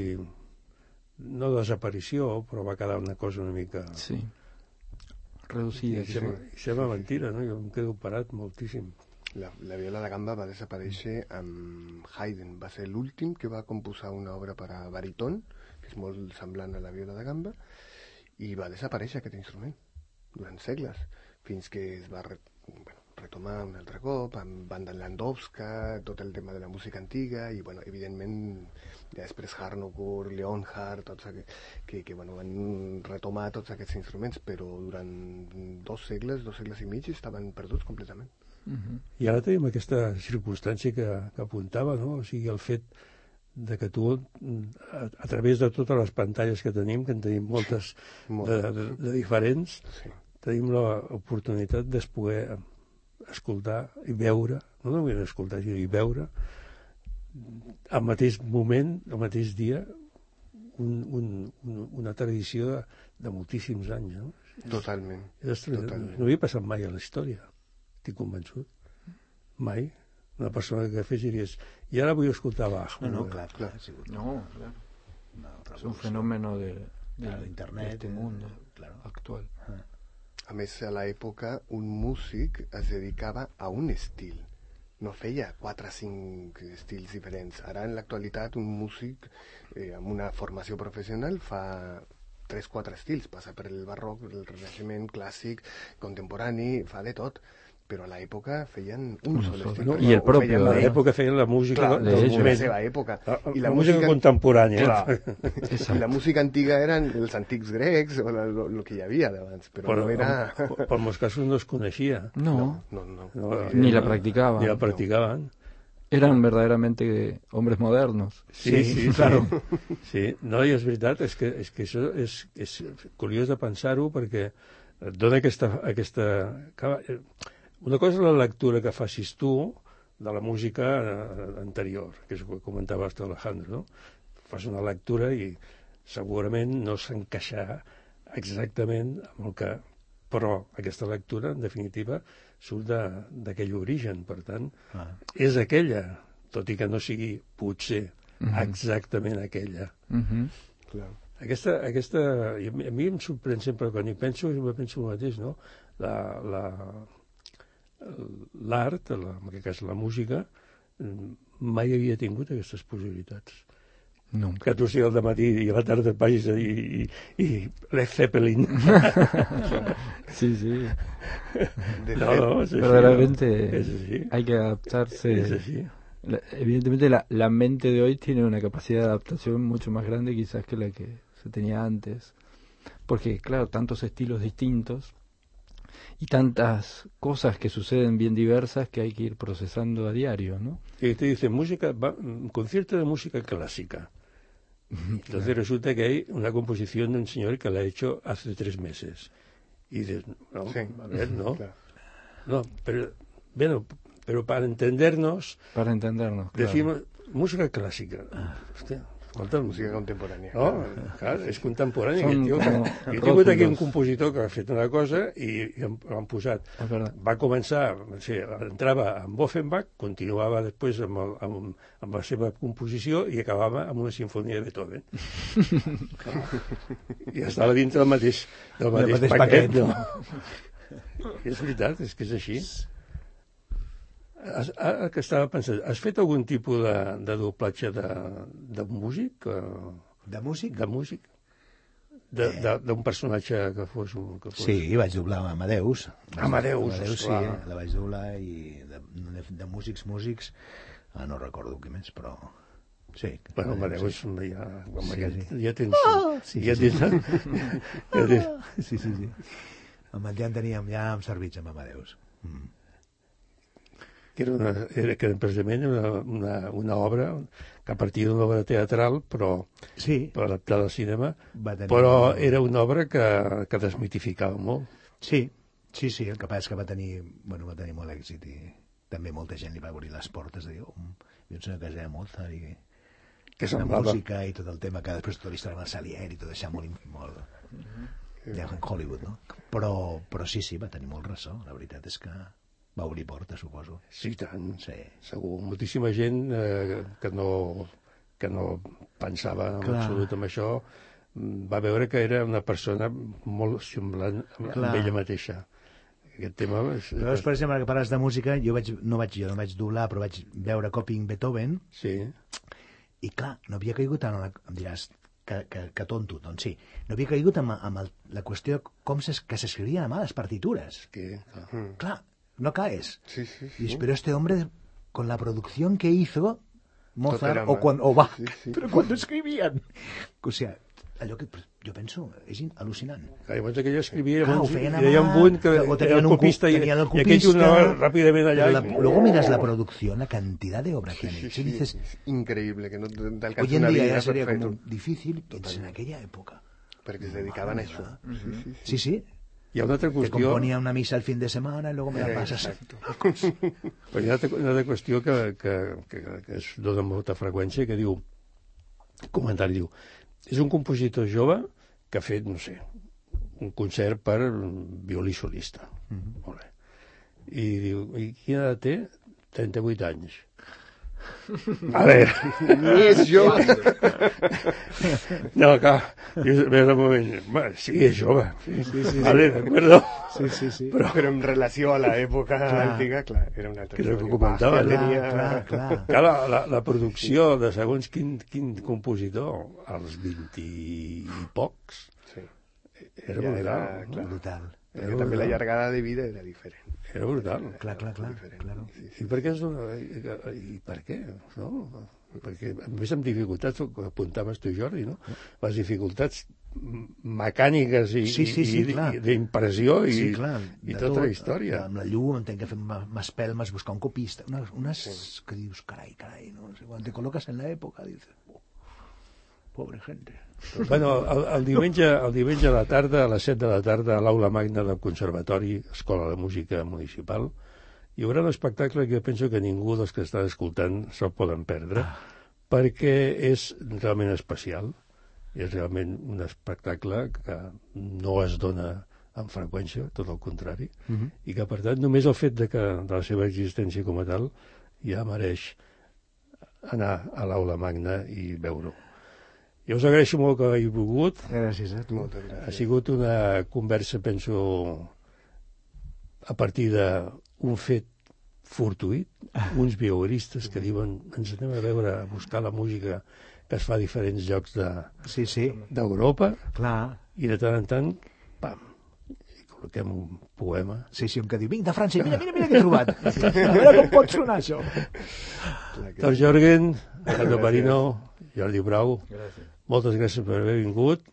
Speaker 5: no desaparició, però va quedar una cosa una mica...
Speaker 7: Sí, reducida.
Speaker 5: I sembla mentira, no? Jo em quedo parat moltíssim.
Speaker 8: La viola da gamba va desaparèixer amb Haydn. Va ser l'últim que va composar una obra per a baríton, que és molt semblant a la viola da gamba, i va desaparèixer aquest instrument durant segles, fins que es va retomar un altre cop amb Banda Landowska, tot el tema de la música antiga, i evidentment ja després Harnoncourt, Leonhardt, tots que van retomar tots aquests instruments, però durant 2 segles i mig estaven perduts completament.
Speaker 5: I ara tenim aquesta circumstància que apuntava, no? O sigui, el fet de que tu, a través de totes les pantalles que tenim, que en tenim moltes de diferents, tenim l'oportunitat de poder escoltar i veure, no només escoltar, sinó i veure al mateix moment, al mateix dia, una tradició de moltíssims anys, no?
Speaker 8: Totalment.
Speaker 5: No havia passat mai a la història, estic convençut. Mai. Una persona que fes i diries, i ara vull escoltar Bach.
Speaker 6: No, clar.
Speaker 7: No, claro. Es un fenómeno de
Speaker 6: internet,
Speaker 7: este mundo actual.
Speaker 8: A més, a l'època, un músic es dedicava a un estil. No feia 4 o 5 estils diferents. Ara, en l'actualitat, un músic amb una formació professional fa 3-4 estils. Passa per el barroc, el renaixement, clàssic, contemporani, fa de tot. Però a l'època feien un sol estil.
Speaker 7: I el propi.
Speaker 5: A l'època feien la música del moment.
Speaker 8: La seva època.
Speaker 5: I la música contemporània.
Speaker 8: I la música antiga eren els antics grecs, o el que hi havia d'abans, però no era...
Speaker 5: Per molts casos no es coneixia.
Speaker 7: No.
Speaker 5: Ni
Speaker 7: la practicaban.
Speaker 5: Ni la practicaban.
Speaker 7: Eran verdaderamente hombres modernos.
Speaker 5: Sí, claro. Sí, no, i és veritat, és que això és curiós de pensar-ho, perquè et dona aquesta... Una cosa és la lectura que facis tu de la música anterior, que és el que comentava Alejandro, no? Fas una lectura i segurament no s'encaixarà exactament amb el que... Però aquesta lectura, en definitiva, surt d'aquell origen, per tant, és aquella, tot i que no sigui, potser, exactament aquella.
Speaker 8: Clar.
Speaker 5: Aquesta... A mi em sorprèn sempre, quan hi penso el mateix, no? L'art, en aquest cas la música, mai havia tingut aquestes possibilitats.
Speaker 7: Nunca.
Speaker 5: Que tu sigui al dematí i a la tarda et vagis i Led Zeppelin.
Speaker 7: Sí.
Speaker 5: No,
Speaker 7: verdaderamente
Speaker 5: es así.
Speaker 7: Hay que adaptarse.
Speaker 5: Es así.
Speaker 7: Evidentemente la mente de hoy tiene una capacidad de adaptación mucho más grande quizás que la que se tenía antes. Porque, claro, tantos estilos distintos y tantas cosas que suceden bien diversas que hay que ir procesando a diario, ¿no?
Speaker 5: Y te dicen un concierto de música clásica. Entonces resulta que hay una composición de un señor que la ha hecho hace 3 meses. Y dices, no, sí. A ver, no. Claro. No, pero para entendernos...
Speaker 7: Claro.
Speaker 5: Decimos música clásica. Hostia.
Speaker 8: Música contemporània.
Speaker 5: No, clar, és contemporània. Jo he tingut aquí un compositor que ha fet una cosa i l'han posat. Va començar, entrava amb Offenbach, continuava després amb la seva composició i acabava amb una sinfonia de Beethoven. I estava dintre del mateix paquet. No? És veritat, és que és així. Ara que estava pensant, has fet algun tipus de doblatge de músic?
Speaker 6: De músic?
Speaker 5: De músic. D'un personatge que fos...
Speaker 6: Sí, vaig doblar Amadeus.
Speaker 5: Amadeus,
Speaker 6: sí, la vaig doblar, i de músics, no recordo què més, però... Sí.
Speaker 5: Bueno, Amadeus ja tens...
Speaker 6: Sí. Amb el Jan teníem ja amb servits amb Amadeus.
Speaker 5: Que era precisament una obra que a partir d'una obra teatral, però adaptada al cinema, però era una obra que desmitificava molt.
Speaker 6: Sí, el que passa és que va tenir molt èxit i també molta gent li va obrir les portes de dir, jo sé que ja Mozart i la música i tot el tema que després tota la història amb el Salieri i tot això molt ja en Hollywood, no? Però sí, va tenir molt ressò, la veritat és que va obrir portes, suposo.
Speaker 5: Sí, tant. Sí. Segur. Moltíssima gent que no que no pensava en absolut en això, va veure que era una persona molt semblant amb ella mateixa. Aquest tema...
Speaker 6: Llavors, per exemple, que parles de música, jo no vaig doblar, però vaig veure Coping Beethoven, i clar, no havia caigut en em diràs que tonto, doncs sí, no havia caigut en la qüestió que s'escrivien a mà les partitures. Clar, no caes. Dius, pero este hombre, con la producción que hizo Mozart, pero cuando escribían, o sea, allò que jo penso és al·lucinant.
Speaker 5: Llavors que ell escrivia, hi havia un punt que era el copista i aquell anava ràpidament allà.
Speaker 6: Luego miras la producción, la cantidad de obra que han hecho, y dices,
Speaker 8: es increíble, que no te alcanza
Speaker 6: hoy en
Speaker 8: una
Speaker 6: día
Speaker 8: vida
Speaker 6: ya sería
Speaker 8: perfecto.
Speaker 6: como difícil, en aquella época.
Speaker 8: Perquè se dedicaven a això.
Speaker 6: Sí.
Speaker 5: Hi ha una altra qüestió...
Speaker 6: Que componía una misa el fin de semana y luego me la pasas.
Speaker 5: Però hi ha una altra qüestió que es dona amb molta freqüència, que diu, comentari, diu, és un compositor jove que ha fet, no sé, un concert per violí solista. Molt bé. I diu, i quina edat té? 38 anys. A veure...
Speaker 8: És jove.
Speaker 5: No, clar, ves un moment. Sí, és jove. Vale, d'acord.
Speaker 6: Sí.
Speaker 8: Però en relació a l'època antiga, clar, era una altra
Speaker 5: que és el que
Speaker 8: història.
Speaker 5: comentava. Clar, la producció de segons quin compositor, als 20 i pocs, era brutal.
Speaker 8: Perquè també la llargada de vida era diferent.
Speaker 5: Era brutal.
Speaker 6: Clar.
Speaker 5: I per què I per què? No? Perquè, a més, amb dificultats, que apuntaves tu, Jordi, no? Les dificultats mecàniques i d'impressió i tota la història.
Speaker 6: Amb la llum, entenc que fem espelmes, buscar un copista, unes que dius, carai, no sé, quan te col·loques en l'època, dius, pobre gente.
Speaker 5: Bueno, el diumenge a la tarda, a les 7 de la tarda, a l'aula magna del Conservatori, Escola de Música Municipal, hi haurà un espectacle que penso que ningú dels que estan escoltant se'l poden perdre, perquè és realment especial. És realment un espectacle que no es dona amb freqüència, tot el contrari, i que, per tant, només el fet de la seva existència com a tal ja mereix anar a l'aula magna i veure-ho. Jo us agraeixo molt que hagi volgut.
Speaker 6: Gràcies a tu.
Speaker 5: Ha sigut una conversa, penso, a partir d'un fet fortuït, uns violinistes que diuen ens anem a veure, a buscar la música que es fa a diferents llocs d'Europa, i de tant en tant, pam, i col·loquem un poema.
Speaker 6: Sí, un que diu, vinc de França, mira què he trobat. A veure com pot sonar això.
Speaker 5: Tal Jorgen, Alejandro Parino, Jordi Brau, moltes gràcies per haver vingut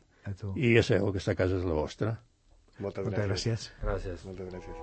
Speaker 5: i ja sabeu que aquesta casa és la vostra.
Speaker 8: Moltes gràcies. Moltes gràcies.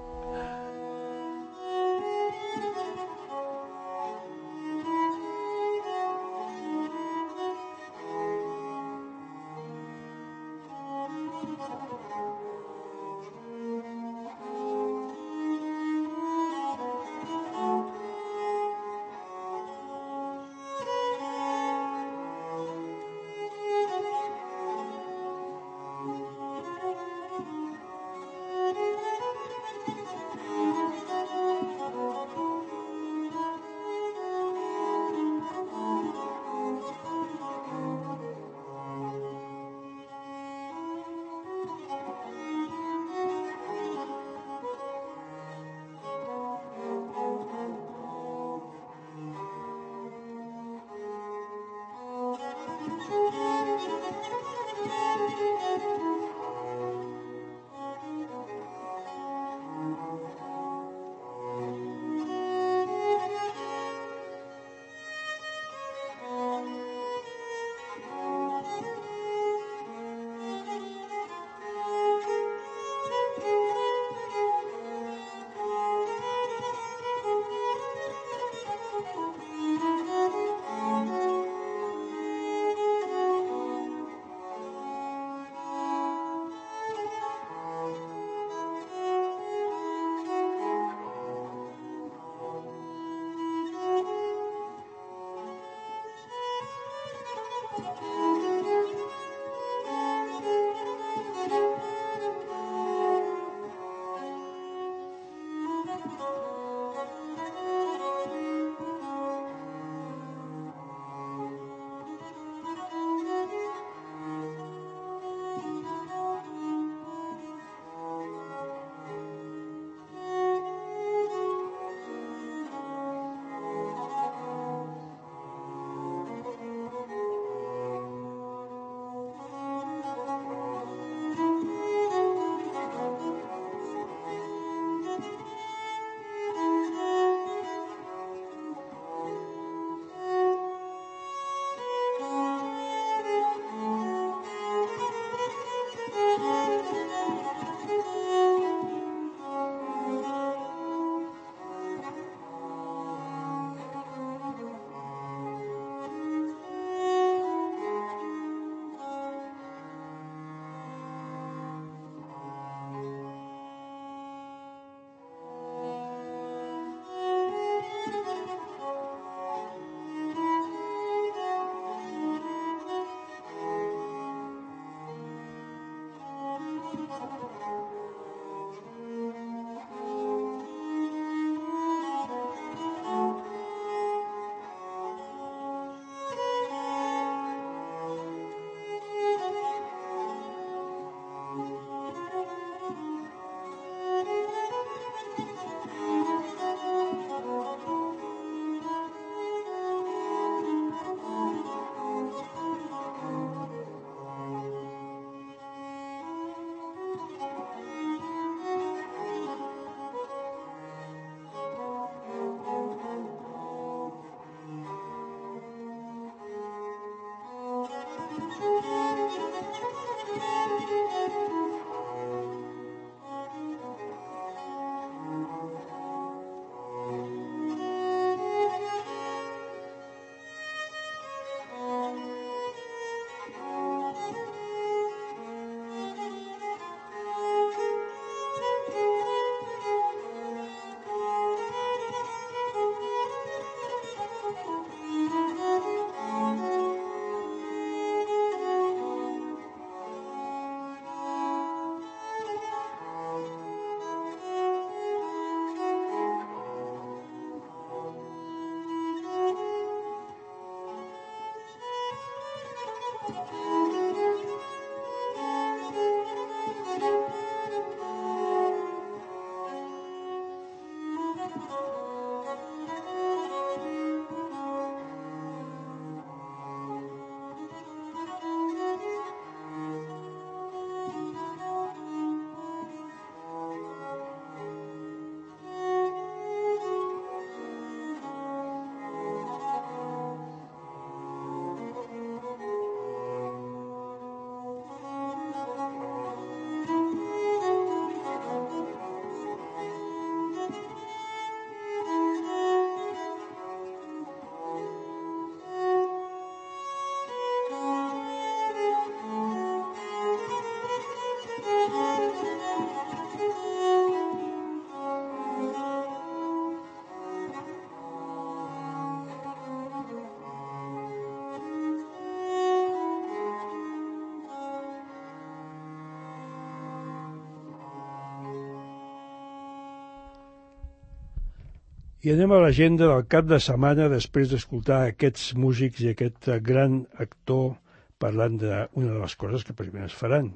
Speaker 5: I anem a l'agenda del cap de setmana després d'escoltar aquests músics i aquest gran actor parlant d'una de les coses que precisament es faran.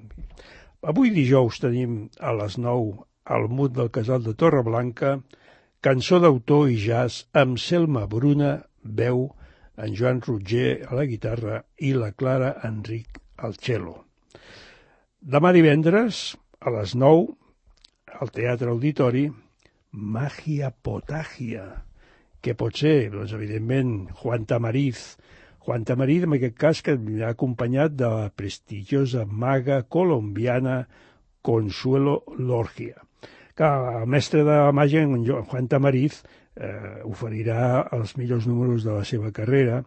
Speaker 5: Avui dijous tenim a les 9 al Mut del Casal de Torreblanca cançó d'autor i jazz amb Selma Bruna, veu, en Joan Roger a la guitarra i la Clara Enric al cello. Demà divendres a les 9 al Teatre Auditori Magia Potagia, que pot ser, doncs, evidentment, Juan Tamariz, en aquest cas, que l'ha acompanyat de la prestigiosa maga colombiana Consuelo Lorgia. Que el mestre de la màgia, en Juan Tamariz, oferirà els millors números de la seva carrera,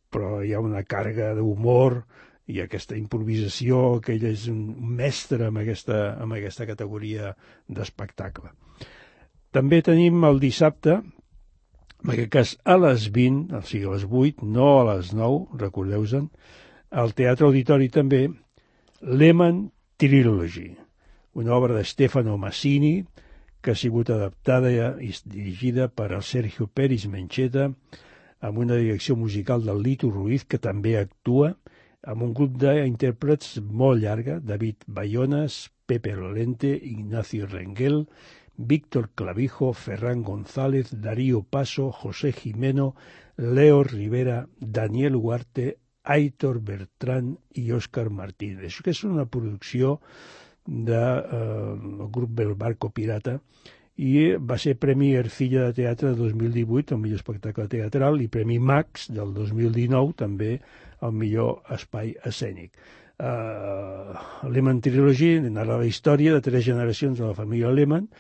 Speaker 5: però hi ha una càrrega d'humor i aquesta improvisació, que ell és un mestre amb aquesta categoria d'espectacle. També tenim el dissabte, en aquest cas a les 20, o sigui a les 8, no a les 9, recordeu-se'n, al Teatre Auditori també, Lehmann Trilogy, una obra de Stefano Massini que ha sigut adaptada i dirigida per el Sergio Pérez Mencheta, amb una direcció musical del Lito Ruiz, que també actua, amb un grup d'intèrprets molt llarga, David Bayonas, Pepe Lorente, Ignacio Rengel, Víctor Clavijo, Ferran González, Darío Paso, José Jimeno, Leo Rivera, Daniel Huarte, Aitor Bertrán i Òscar Martínez. Això que és una producció del grup del Barco Pirata i va ser Premi Ercilla de Teatre de 2018, el millor espectacle teatral, i Premi Max del 2019, també el millor espai escènic. Lehmann Trilogy narra la història de 3 generacions de la família Lehmann,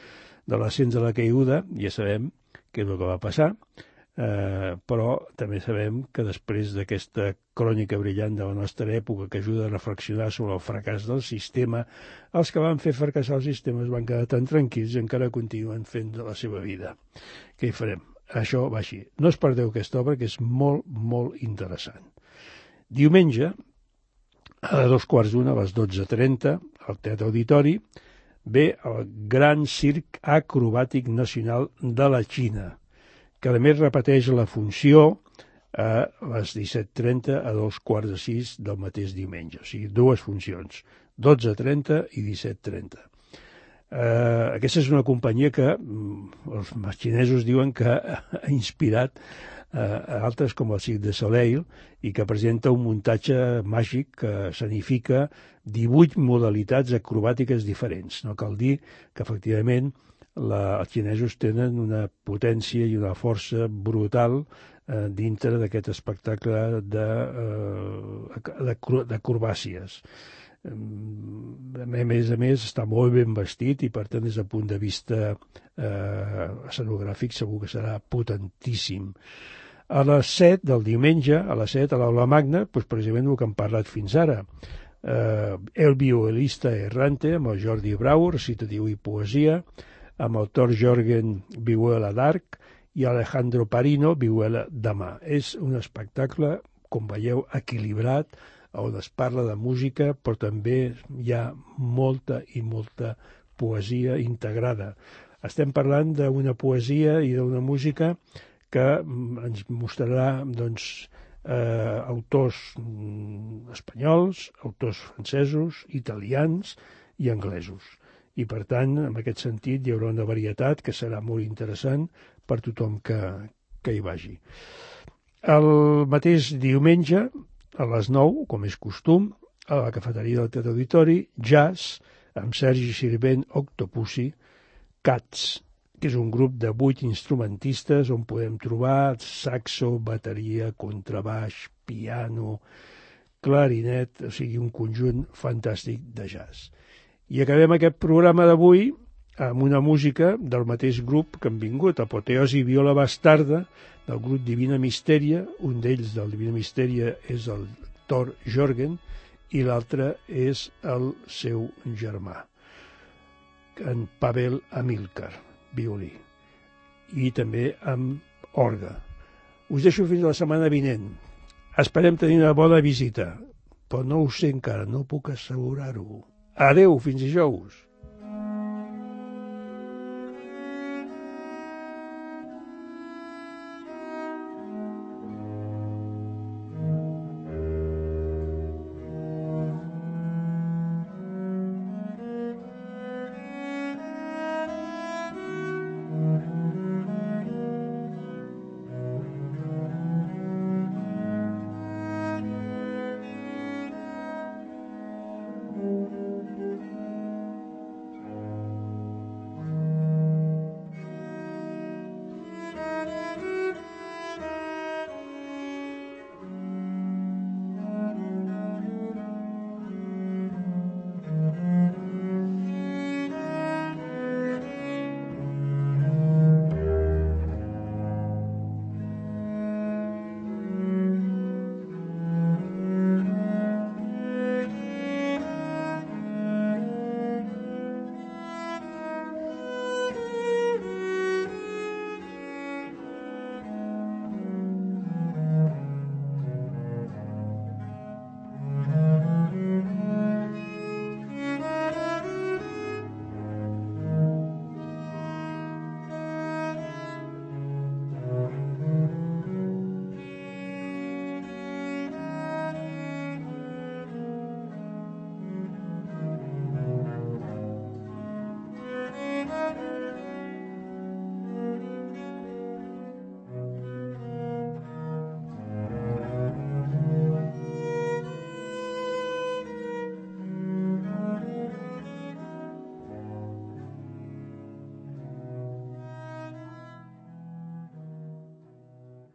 Speaker 5: de l'ascens a la caiguda, ja sabem què és el que va passar, però també sabem que després d'aquesta crònica brillant de la nostra època que ajuda a reflexionar sobre el fracàs del sistema, els que van fer fracassar el sistema es van quedar tan tranquils i encara continuen fent de la seva vida. Què hi farem? Això va així. No us perdeu aquesta obra, que és molt, molt interessant. Diumenge, a 2:15, a les 12:30, al Teatre Auditori, ve el Gran Circ Acrobàtic Nacional de la Xina, que a més repeteix la funció a les 17:30 a 2:15 del mateix diumenge. O sigui, 2 funcions, 12:30 i 17:30. Aquesta és una companyia que els xinesos diuen que ha inspirat a altres com el Cirque du Soleil i que presenta un muntatge màgic que escenifica 18 modalitats acrobàtiques diferents. No cal dir que, efectivament, els xinesos tenen una potència i una força brutal dintre d'aquest espectacle d'acrobàcies. A més, està molt ben vestit i, per tant, des del punt de vista escenogràfic segur que serà potentíssim. A les 7 del diumenge, a les 7 a l'Aula Magna, doncs precisament el que hem parlat fins ara, El violista errante, amb el Jordi Brau, recitatiu i poesia, amb el Tor Jorgen, vihuela d'arc, i Alejandro Parino, vihuela de mà. És un espectacle, com veieu, equilibrat, on es parla de música, però també hi ha molta i molta poesia integrada. Estem parlant d'una poesia i d'una música que ens mostrarà, doncs, autors espanyols, autors francesos, italians i anglesos. I, per tant, en aquest sentit, hi haurà una varietat que serà molt interessant per tothom que hi vagi. El mateix diumenge, a les 9, com és costum, a la cafeteria del Teatre Auditori, jazz, amb Sergi Sirvent Octopussy, Cats, que és un grup de 8 instrumentistes on podem trobar saxo, bateria, contrabaix, piano, clarinet, o sigui, un conjunt fantàstic de jazz. I acabem aquest programa d'avui amb una música del mateix grup que han vingut, Apoteosi Viola Bastarda, del grup Divina Misteria. Un d'ells, del Divina Misteria, és el Thor Jorgen, i l'altre és el seu germà, en Pavel Amilcar, violí, i també amb orgue. Us deixo fins la setmana vinent. Esperem tenir una bona visita, però no ho sé encara, no puc assegurar-ho. Adeu, fins dijous.